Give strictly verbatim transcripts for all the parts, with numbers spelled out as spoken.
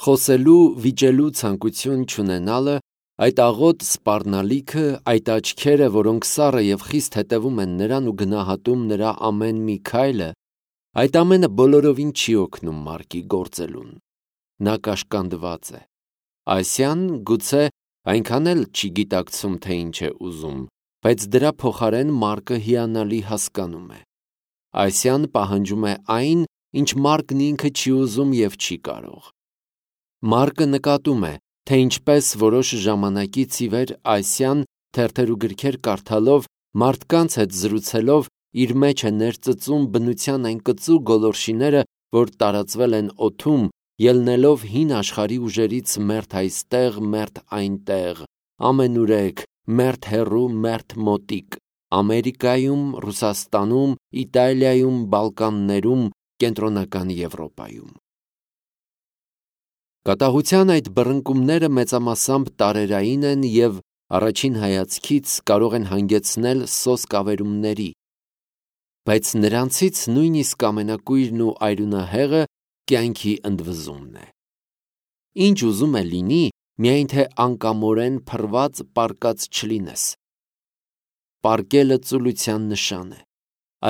Խոսելու, վիճելու ցանկություն չունենալը, այդ աղոտ սպառնալիքը, այդ աչքերը, որոնք սառը և խիստ հետևում են նրան ու գնահատում նրա ամեն մի քայլը, այդ ամենը բոլորովին չի օգնում Մարկի գործելուն։ Նա կաշկանդված է։ Ասիան գուցե այնքան էլ չի գիտակցում, թե ինչ է ուզում, բայց դրա փոխարեն Մարկը հիանալի հասկանում է։ Ասիան պահանջում է այն, ինչ Մարկն ինքը չի ուզում և չի կարող։ Մարկը նկատում է, թե ինչպես որոշ ժամանակից ի վեր Ասիան թերթեր ու գրքեր կարդալով, մարդկանց հետ զրուցելով իր մեջ է ներծծում բնության այն կծու գոլորշիները, որ տարածվել են օդում, ելնելով հին աշխարհի ուժերից մերթ այստեղ, մերթ այնտեղ, ամենուրեք, մերթ հեռու, մերթ մոտիկ, Ամերիկայում, Ռուսաստանում, Իտալիայում, Բալկաններում, Կենտրոնական Եվրոպայում։ Կատաղության այդ բռնկումները մեծամասամբ տարերային են և առաջին հայացքից կարող են հանգեցնել սոսկ ավերումների, բայց նրանցից նույնիսկ ամենակույրն ու այրունահեղը կյանքի ընդվզումն է։ Ինչ ուզում է լինի, միայն թե անկամորեն փռված պառկած չլինես։ Պառկելը ծուլության նշան է։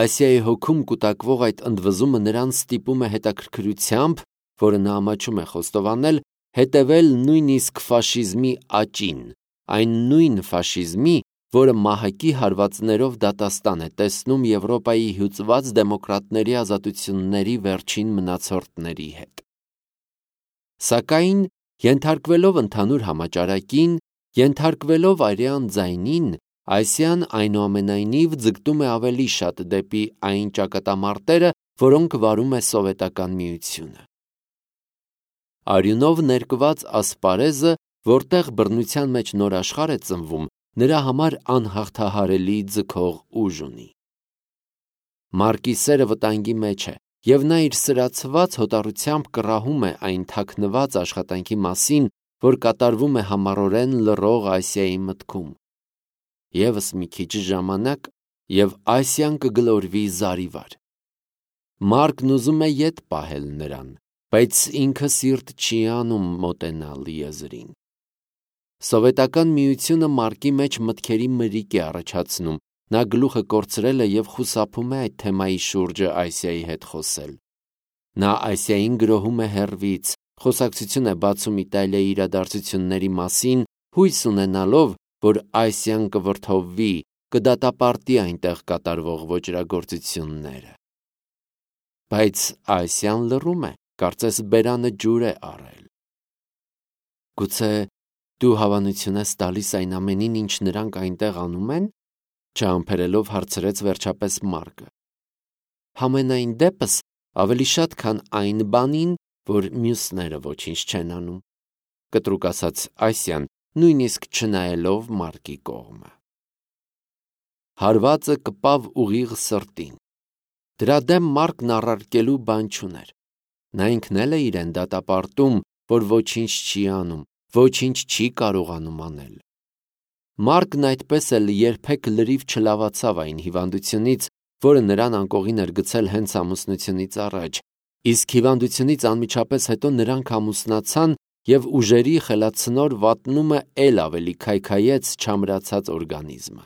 Ասիայի հոգում կուտակվող այդ ընդվզումը նրան ստիպում է հետաքրքրությամբ, որը նա ամաչում է խոստովանել, հետևել նույնիսկ ֆաշիզմի աճին, այն նույն ֆաշիզմի, որը մահակի հարվածներով դատաստան է տեսնում Եվրոպայի հյուծված դեմոկրատների ազատությունների վերջին մնացորդների հետ։ Սակայն, ենթարկվելով ընդհանուր համաճարակին, ենթարկվելով արյան ձայնին, Ասիան այնուամենայնիվ ձգտում է ավելի շատ դեպի այն ճակատամարտերը, որոնք վարում է Սովետական Միությունը։ Արյունով ներկված ասպարեզը, որտեղ բռնության մեջ նոր աշխարհ է ծնվում, նրա համար անհաղթահարելի ձգող ուժ ունի։ Մարկի սերը վտանգի մեջ է, և նա իր սրացված հոտառությամբ կռահում է այն թաքնված աշխատանքի մասին, որ կատարվում է համառորեն լռող Ասիայի մտքում։ Եվս մի քիչ ժամանակ, և Ասիան կգլորվի զարիվար։ Մարկն ուզում է ետ պահել նրան, բայց ինքը սիրտ չի անում մոտենալ եզրին։ Սովետական Միությունը Մարկի մեջ մտքերի մրիկ է առաջացնում, նա գլուխը կորցրել է և խուսափում է այդ թեմայի շուրջը Ասիայի հետ խոսել։ Նա Ասիային գրոհում է հեռվից, խոսակցություն է բացում Իտալիայի իրադարձությունների մասին, հույս ունենալով, որ Ասիան կվրդովվի, կդատապարտի այնտեղ կատարվող ոճրագործությունները։ Բայց Ասիան լռում է, կարծես բերանը ջուր է առել։ Գուցե դու հավանություն ես տալիս այն ամենին, ինչ նրանք այնտեղ անում են, չհամբերելով հարցրեց վերջապես Մարկը։ Համենայն դեպս ավելի շատ, քան այն բանին, որ մյուսները ոչինչ չեն անում, կտրուկ ասաց Ասիան, նույնիսկ չնայելով Մարկի կողմը։ Հարվածը կպավ ուղիղ սրտին։ Դրա դեմ Մարկն առարկելու բան չուներ։ Նա ինքն էլ է իրեն դատապարտում, որ ոչինչ չի անում, ոչինչ չի կարողանում անել։ Մարկն այդպես էլ երբեք լրիվ չլավացավ այն հիվանդությունից, որը նրան անկողին էր գցել հենց ամուսնությունից առաջ, իսկ հիվանդությունից անմիջապես հետո նրանք ամուսնացան և ուժերի խելացնոր վատնումը էլ ավելի քայքայեց չամրացած օրգանիզմը։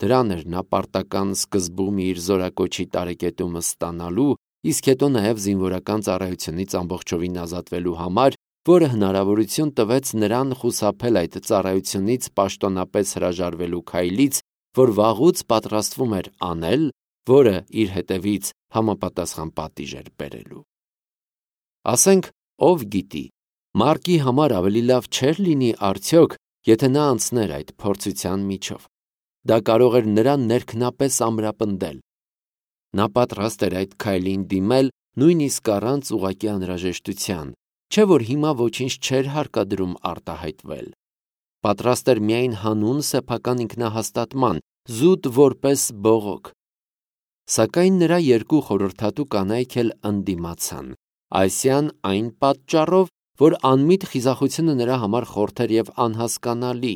Դրան էր նա պարտական սկզբում իր զորակոչի տարեկետումը ստանալու, իսկ հետո նաև զինվորական ծառայությունից ամբողջովին ազատվելու համար, որը հնարավորություն տվեց նրան խուսափել այդ ծառայությունից պաշտոնապես հրաժարվելու քայլից, որ վաղուց պատրաստվում էր անել, որը իր հետևից համապատասխան պատիժ էր բերելու։ Ասենք, ով գիտի, Մարկի համար ավելի լավ չէր լինի արդյոք, եթե նա անցներ այդ փորձության միջով։ Դա կարող էր նրան ներքնապես ամրապնդել։ Նա պատրաստ էր այդ քայլին դիմել նույնիսկ առանց ուղղակի անհրաժեշտության, չէ՞ որ հիմա ոչինչ չէր հարկադրում արտահայտվել։ Պատրաստ էր միայն հանուն սեփական ինքնահաստատման, զուտ որպես բողոք։ Սակայն նրա երկու խորհրդատու կանայք էլ ընդդիմացան, Ասիան այն պատճառով, որ անմիտ խիզախությունը նրա համար խորթ էր և անհասկանալի։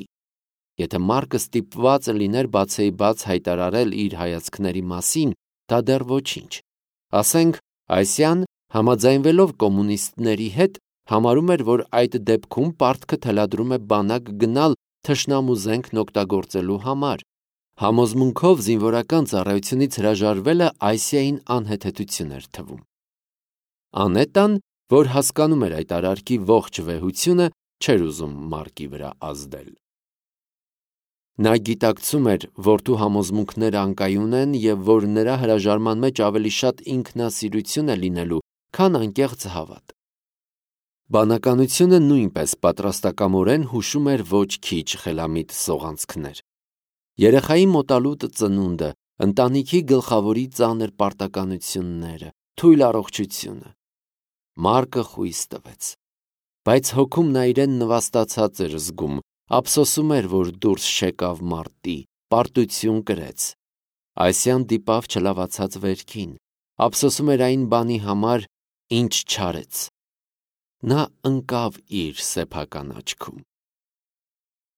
Եթե Մարկը ստիպված լիներ բացեիբաց հայտարարել իր հայացքների մասին, դա դեռ ոչինչ։ Ասենք, Ասիան, համաձայնվելով կոմունիստների հետ, համարում էր, որ այդ դեպքում պարտքը թելադրում է բանակ գնալ թշնամու զենքն օգտագործելու համար։ Համոզմունքով զինվորական ծառայությունից հրաժարվելը Այսիային անհեթեթություն էր թվում։ Անետան, որ հասկանում էր այդ արարքի ողջ վեհությունը, չէր ուզում Մարկի վրա ազդել։ Նա գիտակցում էր որդու համոզմունքները անկայուն են և որ նրա հրաժարման մեջ ավելի շատ ինքնասիրություն է լինելու, քան անկեղծ հավատ։ Բանականությունը նույնպես պատրաստակամորեն հուշում էր ոչ քիչ խելամիտ սողանցքներ։ Երեխայի մոտալուտ ծնունդը, ընտանիքի գլխավորի ծանր պարտականությունները, թույլ առողջությունը։ Մարկը խույս տվեց, բայց հոգում նա իրեն նվաստացած էր զգում, ափսոսում էր, որ դուրս չեկավ մարտի, պարտություն կրեց։ Այսյան դիպավ չլավացած վերքին, ափսոսում էր այն բանի համար, ինչ չարեց։ Նա ընկավ իր սեփական աչքում։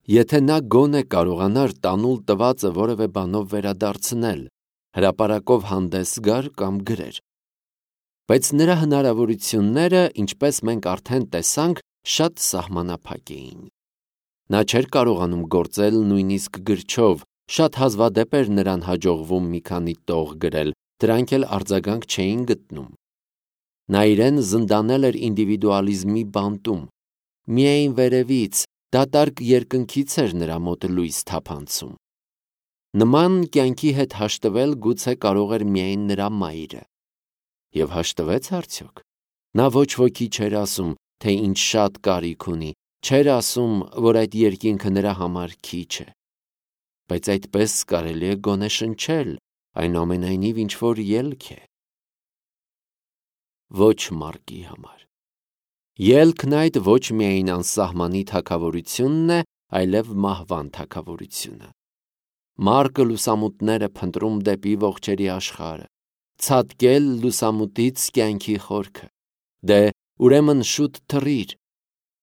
Եթե նա գոնե կարողանար տանուլ տվածը որևէ բանով վերադարձնել, հրապարակով հանդես գար կամ գրեր։ Բայց նրա հնարավորությունները, ինչպես մենք արդեն տեսանք, շատ սահմանափակ էին։ Նա չէր կարողանում գործել նույնիսկ գրչով, շատ հազվադեպ էր նրան հաջողվում մի քանի տող գրել, դրանք էլ արձագանք չէին գտնում։ Նա իրեն զնդանել էր ինդիվիդուալիզմի բանտում։ Միայն վերևից, դատարկ երկնքից էր նրա մոտ լույս թափանցում։ Նման կյանքի հետ հաշտվել գուցե կարող էր միայն նրա մայրը։ Եվ հաշտվեց արդյոք։ Նա ոչ ոքի չէր ասում, թե ինչ շատ կարիք ունի, չէր ասում, որ այդ երկինքը նրա համար քիչ է։ Բայց այդպես կարելի է գոնե շնչել, այնուամենայնիվ ինչ-որ ելք է։ Ոչ Մարկի համար։ Ելքն այդ ոչ միայն անսահմանի թագավորությունն է, այլև մահվան թագավորությունը։ Մարկը լուսամուտներ է փնտրում դեպի ողջերի աշխարհը, ցատկել լուսամուտից կյանքի խորքը։ Դե, ուրեմն շուտ թռիր։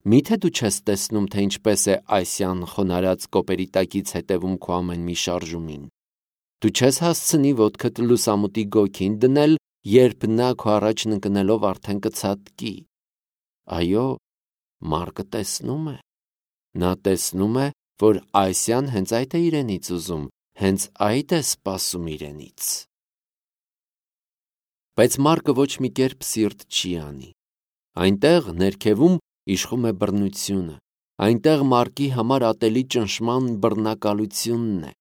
Միթե դու չես տեսնում, թե ինչպես է Այսյան խոնարհած կոպերի տակից հետևում քո ամեն մի շարժումին։ Դու չես հասցնի ոտքդ լուսամուտի գոգին դնել, երբ նա քո առաջն ընկնելով արդեն կցատկի։ Այո, Մարկը տեսնում է։ Նա տեսնում է, որ Այսյան հենց այդ է իրենից ուզում, հենց այդ է սպասում իրենից։ Բայց Մարկը ոչ մի կերպ սիրտ չի անի։ Այնտեղ ներքևում իշխում է բռնությունը, այնտեղ Մարկի համար ատելի ճնշման բռնակալությունն է,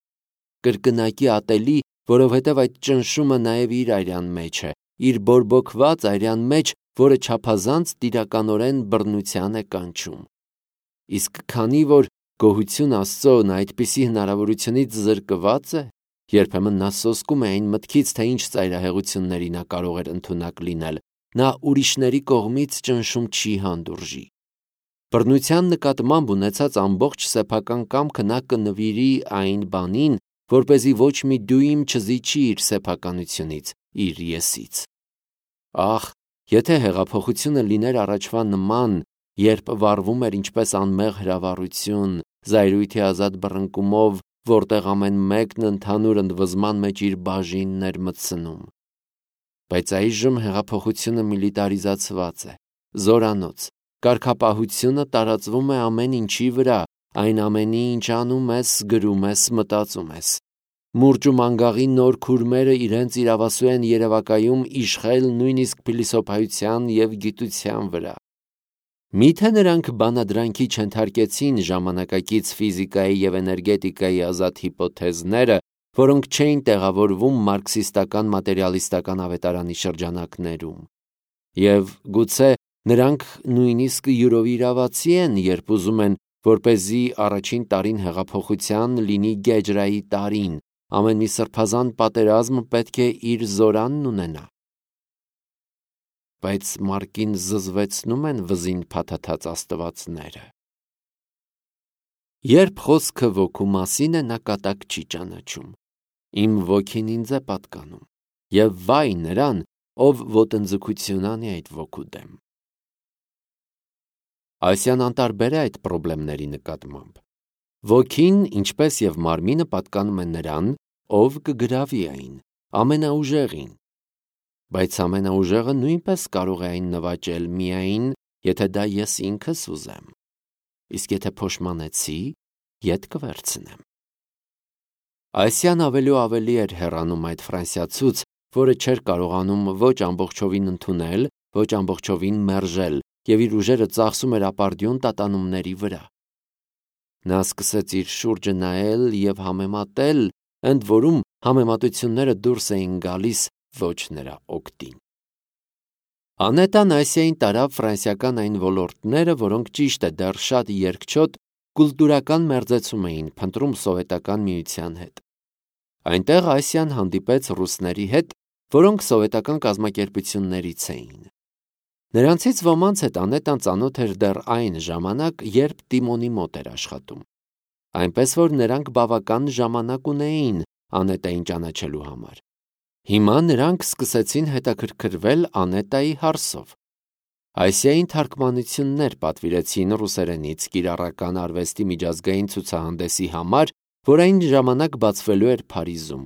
կրկնակի ատելի, որովհետև այդ ճնշումը նաև իր արյան մեջ է, իր բորբոքված արյան մեջ, որը չափազանց տիրականորեն բռնության է կանչում։ Իսկ քանի որ գոհություն Աստծո նա այդպիսի հնարավորությունից զրկված է, երբեմն նա սոսկում է այն մտքից, թե ինչ ծայրահեղությունների նա կարող էր ընդունակ լինել, նա ուրիշների կողմից ճնշում չի հանդուրժի։ Բռնության նկատմամբ ունեցած ամբողջ սեփական կամքը նա կնվիրի այն բանին, որպեսզի ոչ մի դույմ չզիջի իր սեփականությունից, իր եսից։ Ախ, եթե հեղափոխությունը լիներ առաջվա նման, երբ վառվում էր ինչպես անմեղ հրավառություն, զայրույթի ազատ բռնկումով, որտեղ ամեն մեկն ընդհանուր ընդվզման մեջ իր բաժինն էր մտցնում։ Բայց այժմ հեղափոխությունը միլիտարիզացված է, զորանոց, կարգապահությունը տարածվում է ամեն ինչի վրա, այն ամենի, ինչ անում ես, գրում ես, մտածում ես։ Մուրճ ու մանգաղի նոր քուրմերը իրենց իրավասու են երևակայում իշխել նույնիսկ փիլիսոփայության և գիտության վրա։ Միթե նրանք բանադրանքի չենթարկեցին ժամանակակից ֆիզիկայի և էներգետիկայի ազատ հիպոթեզները, որոնք չէին տեղավորվում մարքսիստական մատերիալիստական ավետարանի շրջանակներում։ Եվ գուցե նրանք նույնիսկ յուրովիրավացի են, երբ ուզում են, որպեսզի առաջին տարին հեղափոխության լինի գեջրայի տարին, ամեն մի սրբազան պատերազմ պետք է իր զորանն ունենա։ Բայց Մարկին զզվեցնում են վզին փաթաթած աստվածները։ Երբ խոսքը ոգու մասին է, նա կատակ չի ճանաչում։ Իմ ոգին ինձ է պատկանում, և վայ նրան, ով ոտնձգություն անի այդ ոգու դեմ։ Այսյան անտարբեր է այդ պրոբլեմների նկատմամբ։ Ոգին, ինչպես և մարմինը, պատկանում է նրան, ով կգրավի այն, ամենաուժեղին։ Բայց ամենաուժեղը նույնպես կարող է այն նվաճել միայն, եթե դա ես ինքս ուզեմ, իսկ եթե փոշմանեցի, ետ կվերցնեմ։ Այսյան ավելի ու ավելի էր հեռանում այդ ֆրանսիացուց, որը չէր կարողանում ոչ ամբողջովին ընդունել, ոչ ամբողջովին մերժել և իր ուժերը ծախսում էր ապարդյուն տատանումների վրա։ Նա սկսեց իր շուրջը նայել և համեմատել, ընդ որում համեմատությունները դուրս էին գալիս ոչ նրա օգտին։ Անետան Ասիային տարավ ֆրանսիական այն ոլորտները, որոնք ճիշտ է դեռ շատ երկչոտ կուլտուրական մերձեցում էին փնտրում Սովետական Միության հետ։ Այնտեղ Ասիան հանդիպեց ռուսների հետ, որոնք սովետական կազմակերպություններից էին։ Նրանցից ոմանց հետ Անետան ծանոթ էր դեռ այն ժամանակ, երբ Տիմոնի մոտ էր աշխատում, այնպես որ նրանք բավական ժամանակ ունեին Անետային ճանաչելու համար։ Հիմա նրանք սկսեցին հետաքրքրվել Անետայի հարցով։ Ասիային թարգմանություններ պատվիրեցին ռուսերենից կիրառական արվեստի միջազգային ցուցահանդեսի համար, որ այն ժամանակ բացվելու էր Փարիզում։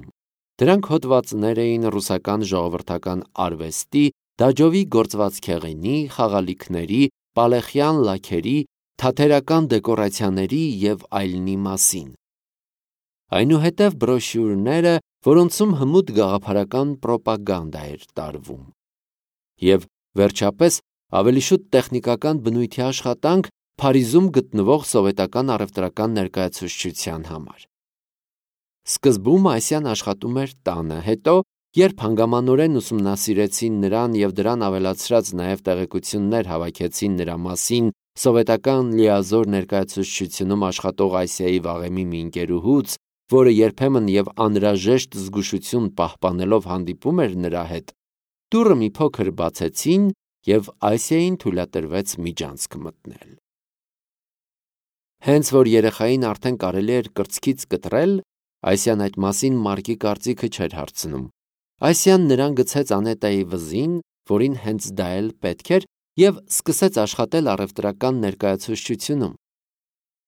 Դրանք հոդվածներ էին ռուսական ժողովրդական արվեստի, դաջովի գործվածքեղենի, խաղալիքների, պալեխյան լաքերի, թատերական դեկորացիաների և այլնի մասին։ Այնուհետև բրոշյուրները, որոնցում հմուտ գաղափարական պրոպագանդա էր տարվում։ Եվ վերջապես ավելի շուտ տեխնիկական բնույթի աշխատանք Փարիզում գտնվող սովետական առևտրական ներկայացուցչության համար։ Սկզբում Ասիան աշխատում էր տանը, հետո, երբ հանգամանորեն ուսումնասիրեցին նրան և դրան ավելացրած նաև տեղեկություններ հավաքեցին նրա մասին սովետական լիազոր ներկայացուցչությունում աշխատող Ասիայի վաղեմի մի ընկերուհուց, որը երբեմն և անհրաժեշտ զգուշություն պահպանելով հանդիպում էր նրա հետ, դուռը մի փոքր բացեցին և Ասիային թույլատրվեց միջանցք մտնել։ Հենց որ երեխային արդեն կարելի էր կրծքից կտրել, Ասիան այդ մասին Մարկի կարծիքը չէր հարցնում։ Ասիան նրան գցեց Անետայի վզին, որին հենց դա էլ պետք էր, և սկսեց աշխատել առևտրական ներկայացուցչությունում։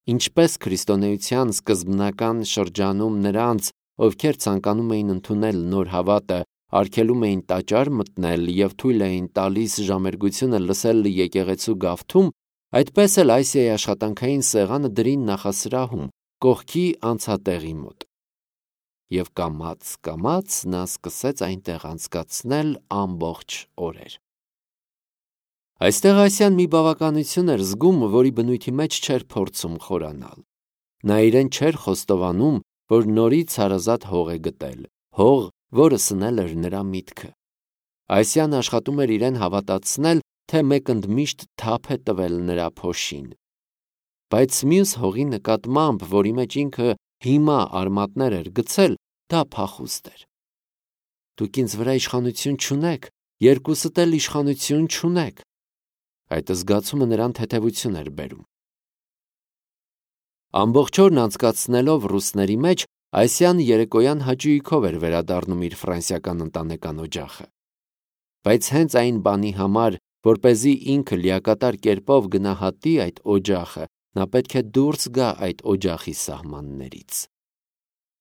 Ինչպես քրիստոնեության սկզբնական շրջանում նրանց, ովքեր ցանկանում էին ընդունել նոր հավատը, արգելում էին տաճար մտնել և թույլ էին տալիս ժամերգությունը լսել եկեղեցու գավթում, այդպես էլ Ասիայի աշխատանքային սեղանը դրին նախասրահում, կողքի անցատեղի մոտ։ Եվ կամաց-կամաց նա սկսեց այնտեղ անցկացնել ամբողջ օրեր։ Այստեղ Ասիան մի բավականություն էր զգում, որի բնույթի մեջ չէր փորձում խորանալ։ Նա իրեն չէր խոստովանում, որ նորից հարազատ հող է գտել, հող, որը սնել էր նրա միտքը։ Ասիան աշխատում էր իրեն հավատացնել, թե մեկ ընդմիշտ թափ է տվել նրա փոշին։ Բայց մյուս հողի նկատմամբ, որի մեջ ինքը հիմա արմատներ էր գցել, դա փախուստ էր։ Դուք ինձ վրա իշխանություն չունեք, երկուսդ էլ իշխանություն չունեք։ Այդ զգացումը նրան թեթևություն էր բերում։ Ամբողջ օրն անցկացնելով ռուսների մեջ, Ասիան երեկոյան հաճույքով էր վերադառնում իր ֆրանսիական ընտանեկան օջախը։ Բայց հենց այն բանի համար, որպեսզի ինքը լիակատար կերպով գնահատի այդ օջախը, նա պետք է դուրս գա այդ օջախի սահմաններից։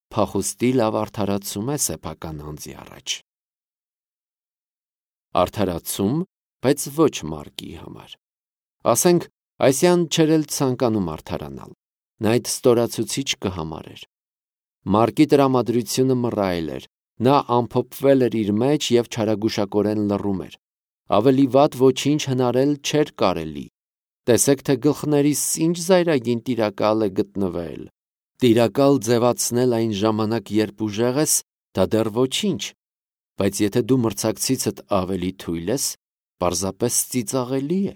Փախուստի լավ արդարացում է սեփական անձի առաջ։ Արդարացում, բայց ոչ Մարկի համար։ Ասենք, Ասիան չէր էլ ցանկանում արդարանալ։ Նա այդ ստորացուցիչ կհամարեր։ Մարկի տրամադրությունը մռայլ էր։ Նա ամփոփվել էր իր մեջ և չարագուշակորեն լռում էր։ Ավելի վատ ոչինչ հնարել չէր կարելի։ Տեսեք, թե գլխներիս ինչ զայրագին տիրակալ է գտնվել։ Տիրակալ ձևացնել այն ժամանակ, երբ ուժեղ ես, դա դեռ ոչինչ, բայց եթե դու մրցակցիցդ ավելի թույլ ես, պարզապես ծիծաղելի է։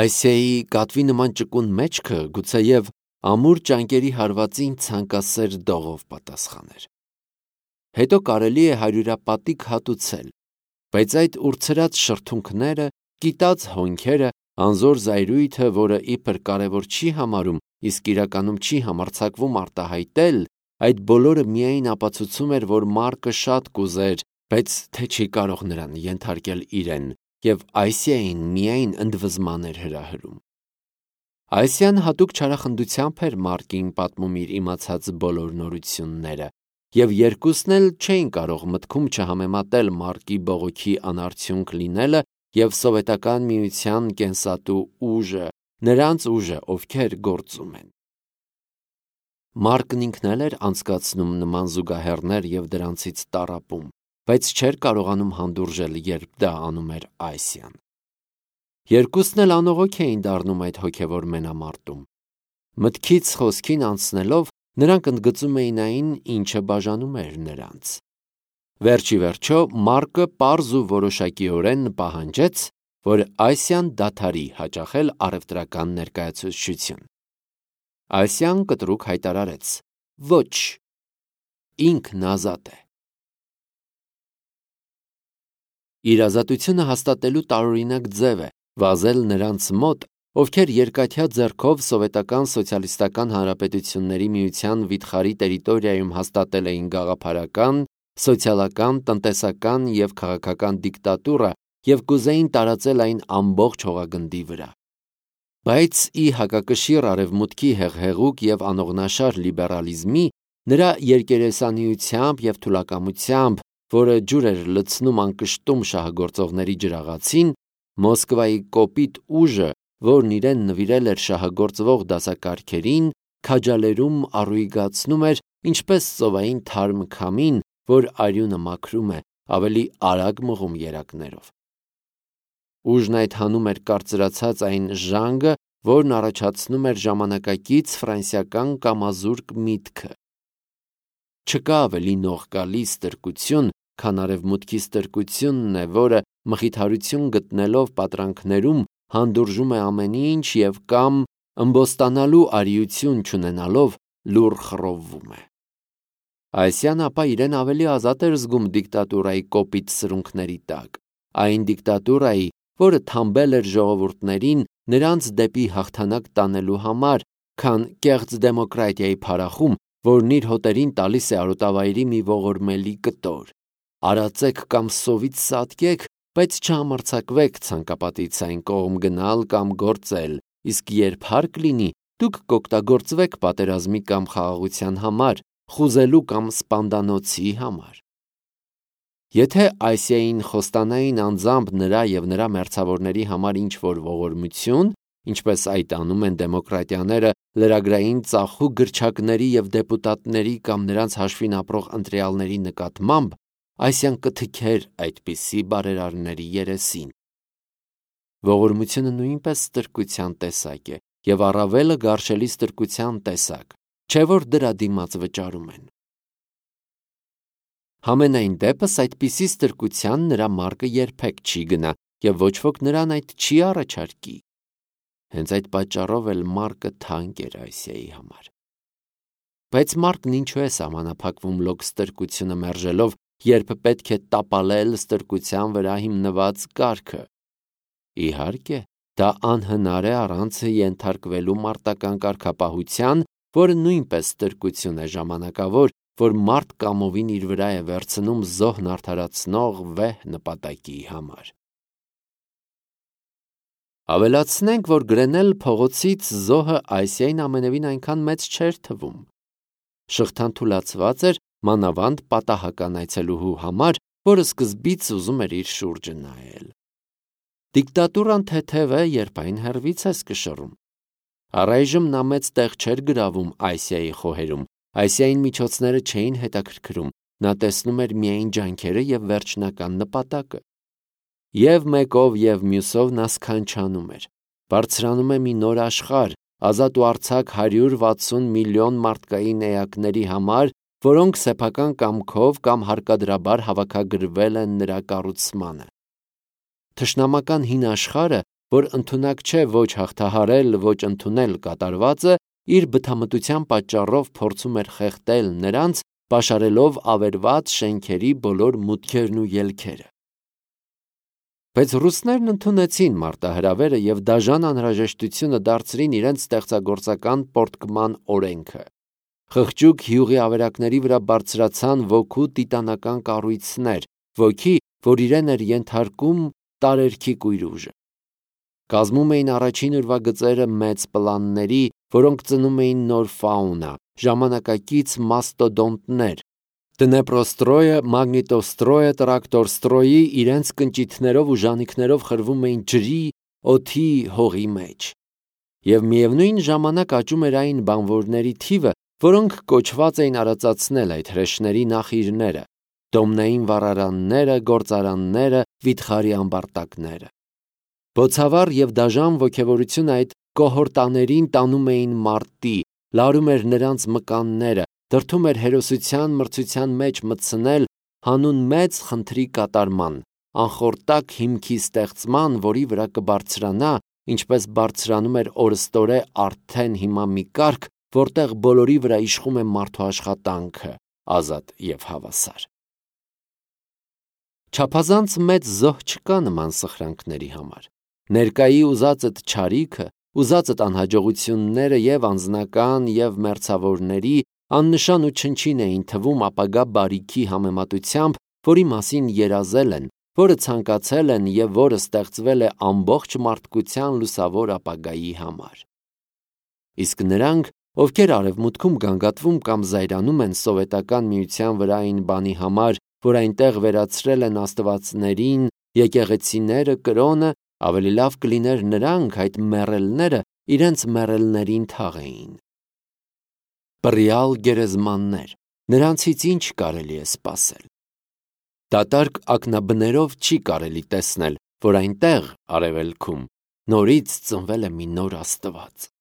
Ասիայի կատվի նման ճկուն մեջքը գուցեև ամուր ճանկերի հարվածին ցանկասեր դողով պատասխաներ։ Հետո կարելի է հարյուրապատիկ հատուցել, բայց այդ ուրցրած շրթունքները, կիտած հոնքերը, անզոր զայրույթը, որը իբր կարևոր չի համարում, իսկ իրականում չի համարձակվում արտահայտել, այդ բոլորը միայն ապացուցում էր, որ Մարկը շատ կուզեր, բայց թե չի կարող նրան ենթարկել իրեն, և Ասիային միայն ընդվզման էր հրահրում։ Ասիան հատուկ չարախնդությամբ էր Մարկին պատմում իր իմացած բոլոր նորությունները, և երկուսն էլ չէին կարող մտքում չհամեմատել Մարկի բողոքի անարդյունք լինելը և սովետական միության կենսատու ուժը, նրանց ուժը, ովքեր գործում են։ Մարկն ինքն էլ էր անցկացնում նման զուգահեռներ և դրանցից տառապում, բայց չէր կարողանում հանդուրժել, երբ դա անում էր Այսիան։ Երկուսն էլ անողոք էին դառնում այդ հոգևոր մենամարտում։ Մտքից խոսքին անցնելով, նրանք ընդգծում էին այն, ինչը բաժանում էր նրանց։ Վերջի վերջո Մարկը պարզ ու որոշակիորեն պահանջեց, որ Այսիան դադարի հաճախել առևտրական ներկայացուցչություն։ Այսիան կտրուկ հայտարարեց. ոչ, ինքն ազատ է։ Իր ազատությունը հաստատելու տարօրինակ ձև է վազել նրանց մոտ, ովքեր երկաթյա ձեռքով Սովետական սոցիալիստական հանրապետությունների միության վիթխարի տերիտորիայում հաստատել էին գաղափարական, սոցիալական, տնտեսական և քաղաքական դիկտատուրա և կուզեին տարածել այն ամբողջ հողագնդի վրա։ Բայց ի հակակշիռ արևմուտքի հեղհեղուկ և անողնաշար լիբերալիզմի, նրա երկերեսանիությամբ և թուլակամությամբ, որը ջուր էր լցնում անկշտում շահագործողների ջրաղացին, Մոսկվայի կոպիտ ուժը, որն իրեն նվիրել էր շահագործվող դասակարգերին, քաջալերում առուգիծացնում էր ինչպես ծովային թարմ քամին, որ արյունը մաքրում է, ավելի արագ մղում երակներով։ Ուժն այդ հանում էր կարծրացած այն ժանգը, որն առաջացնում էր ժամանակակից ֆրանսիական կամազուրկ միտքը։ Չկա ավելի նողկալի ստրկություն, քան արևմուտքի ստրկությունն է, որը մխիթարություն գտնելով պատրանքներում հանդուրժում է ամեն ինչ և կամ ըմբոստանալու արիություն չունենալով լուռ խռովվում է։ Այսիան ապա իրեն ավելի ազատ էր զգում դիկտատուրայի կոպիտ սրունքների տակ, այն դիկտատուրայի, որը թամբել էր ժողովուրդներին նրանց դեպի հաղթանակ տանելու համար, քան կեղծ դեմոկրատիայի փարախում, որն իր հոտերին տալիս է արոտավայրի մի ողորմելի կտոր։ Արածեք կամ սովից սատկեք, բայց չհամարձակվեք ցանկապատից այն կողմ գնալ կամ գործել, իսկ երբ հարկ լինի, դուք կօգտագործվեք պատերազմի կամ խաղաղության համար, խուզելու կամ սպանդանոցի համար։ Եթե Այսիային խոստանային անձամբ նրա և նրա մերձավորների համար ինչ-որ ողորմություն, ինչպես այդ անում են դեմոկրատիաները լրագրային ծախու գրչակների և դեպուտատների կամ նրանց հաշվին ապրող ընտրյալների նկատմամբ, Այսիան կթքեր այդպիսի բարերարների երեսին։ Ողորմությունը նույնպես ստրկության տեսակ է և առավելը գարշելի ստրկության տեսակ, չէ՞ որ դրա դիմաց վճարում են։ Համենայն դեպս այդպիսի ստրկության նրա մարկը երբեք չի գնա և ոչ ոք նրան այդ չի առաջարկի։ Հենց այդ պատճառով էլ մարկը թանկ էր Այսիայի համար։ Բայց մարկն ինչու է սահմանափակվում լոկ ստրկությունը մերժելով, երբ պետք է տապալել ստրկության վրա հիմնված կարգը։ Իհարկե, դա անհնար է առանց ենթարկվելու մարտական կարգապահության, որը նույնպես ստրկություն է ժամանակավոր, որ մարդ կամովին իր վրա է վերցնում զոհն արդարացնող վեհ նպատակի համար։ Ավելացնենք, որ գրենել փողոցից զոհը Այսիային ամենևին այնքան մեծ չէր թվում։ Շղթան թուլացված էր մանավանդ պատահական այցելուհու համար, որը սկզբից ուզում էր իր շուրջը նայել։ Դիկտատուրան թեթև է, երբ այն հեռվից ես կշռում։ Առայժմ նա մեծ տեղ չէր գրավում Այսիայի խոհերում, Այսիային միջոցները չէին հետաքրքրում, նա տեսնում էր միայն ջանքերը և վերջնական նպատակը։ Եվ մեկով և մյուսով նա սքանչանում էր։ Բարձրանում է մի նոր աշխարհ, ազատ ու արձակ հարյուր վաթսուն միլիոն մարդկային էակների համար, որոնք սեփական կամքով կամ հարկադրաբար հավաքագրվել են նրա կառուցմանը։ Թշնամական հին աշխարհը, որ ընդունակ չէ ոչ հաղթահարել, ոչ ընդունել կատարվածը, իր բթամտության պատճառով փորձում էր խեղդել նրանց, պաշարելով ավերված շենքերի բոլոր մուտքերն ու ելքերը։ Բայց ռուսներն ընդունեցին մարտահրավերը և դաժան անհրաժեշտությունը դարձրին իրենց ստեղծագործական պոռթկման օրենքը։ Խղճուկ հյուղի ավերակների վրա բարձրացան ոգու տիտանական կառույցներ, ոգի, որ իրեն էր ենթարկում տարերքի կույր ուժը։ Կազմում էին առաջին ուրվագծերը մեծ պլանների, որոնք ծնում էին նոր ֆաունա, ժամանակակից մաստոդոնտներ, Դնեպրոստրոյը, մագնիտոստրոյը, տրակտորստրոյի իրենց կնճիթներով ու ժանիքներով խրվում էին ջրի, օդի, հողի մեջ։ Եվ միևնույն ժամանակ աճում էր այն բանվորների թիվը, որոնք կոչված էին արածացնել այդ հրեշների նախիրները, դոմնային վառարանները, գործարանները, վիթխարի ամբարտակները։ Բոցավառ և դաժան ոգևորությունը այդ կոհորտաներին տանում էին մարտի, լարում էր նրանց մկանները, դրդում էր հերոսության մրցության մեջ մտցնել հանուն մեծ խնդրի կատարման, անխորտակ հիմքի ստեղծման, որի վրա կբարձրանա, ինչպես բարձրանում էր օրըստօրե արդեն հիմա մի կարգ, որտեղ բոլորի վրա իշխում է մարդու աշխատանքը, ազատ և հավասար։ Չափազանց մեծ զոհ չկա նման սխրանքների համար։ Ներկայի ուզածդ չարիքը, ուզածդ անհաջողությունները և անձնական, և մերձավորների աննշան ու չնչին էին թվում ապագա բարիքի համեմատությամբ, որի մասին երազել են, որը ցանկացել են և որը ստեղծվել է ամբողջ մարդկության լուսավոր ապագայի համար։ Իսկ նրանք, ովքեր արևմուտքում գանգատվում կամ զայրանում են Սովետական Միության վրա այն բանի համար, որ այնտեղ վերացրել են աստվածներին, եկեղեցիները, կրոնը, ավելի լավ կլիներ նրանք, այդ մեռելները, իրենց մեռելներին թաղեին։ Բռյալ գերեզմաններ, նրանցից ինչ կարելի է սպասել։ Դատարկ ակնաբներով չի կարելի տեսնել, որ այնտեղ, արևելքում, նորից ծնվել է մի նոր Աստված։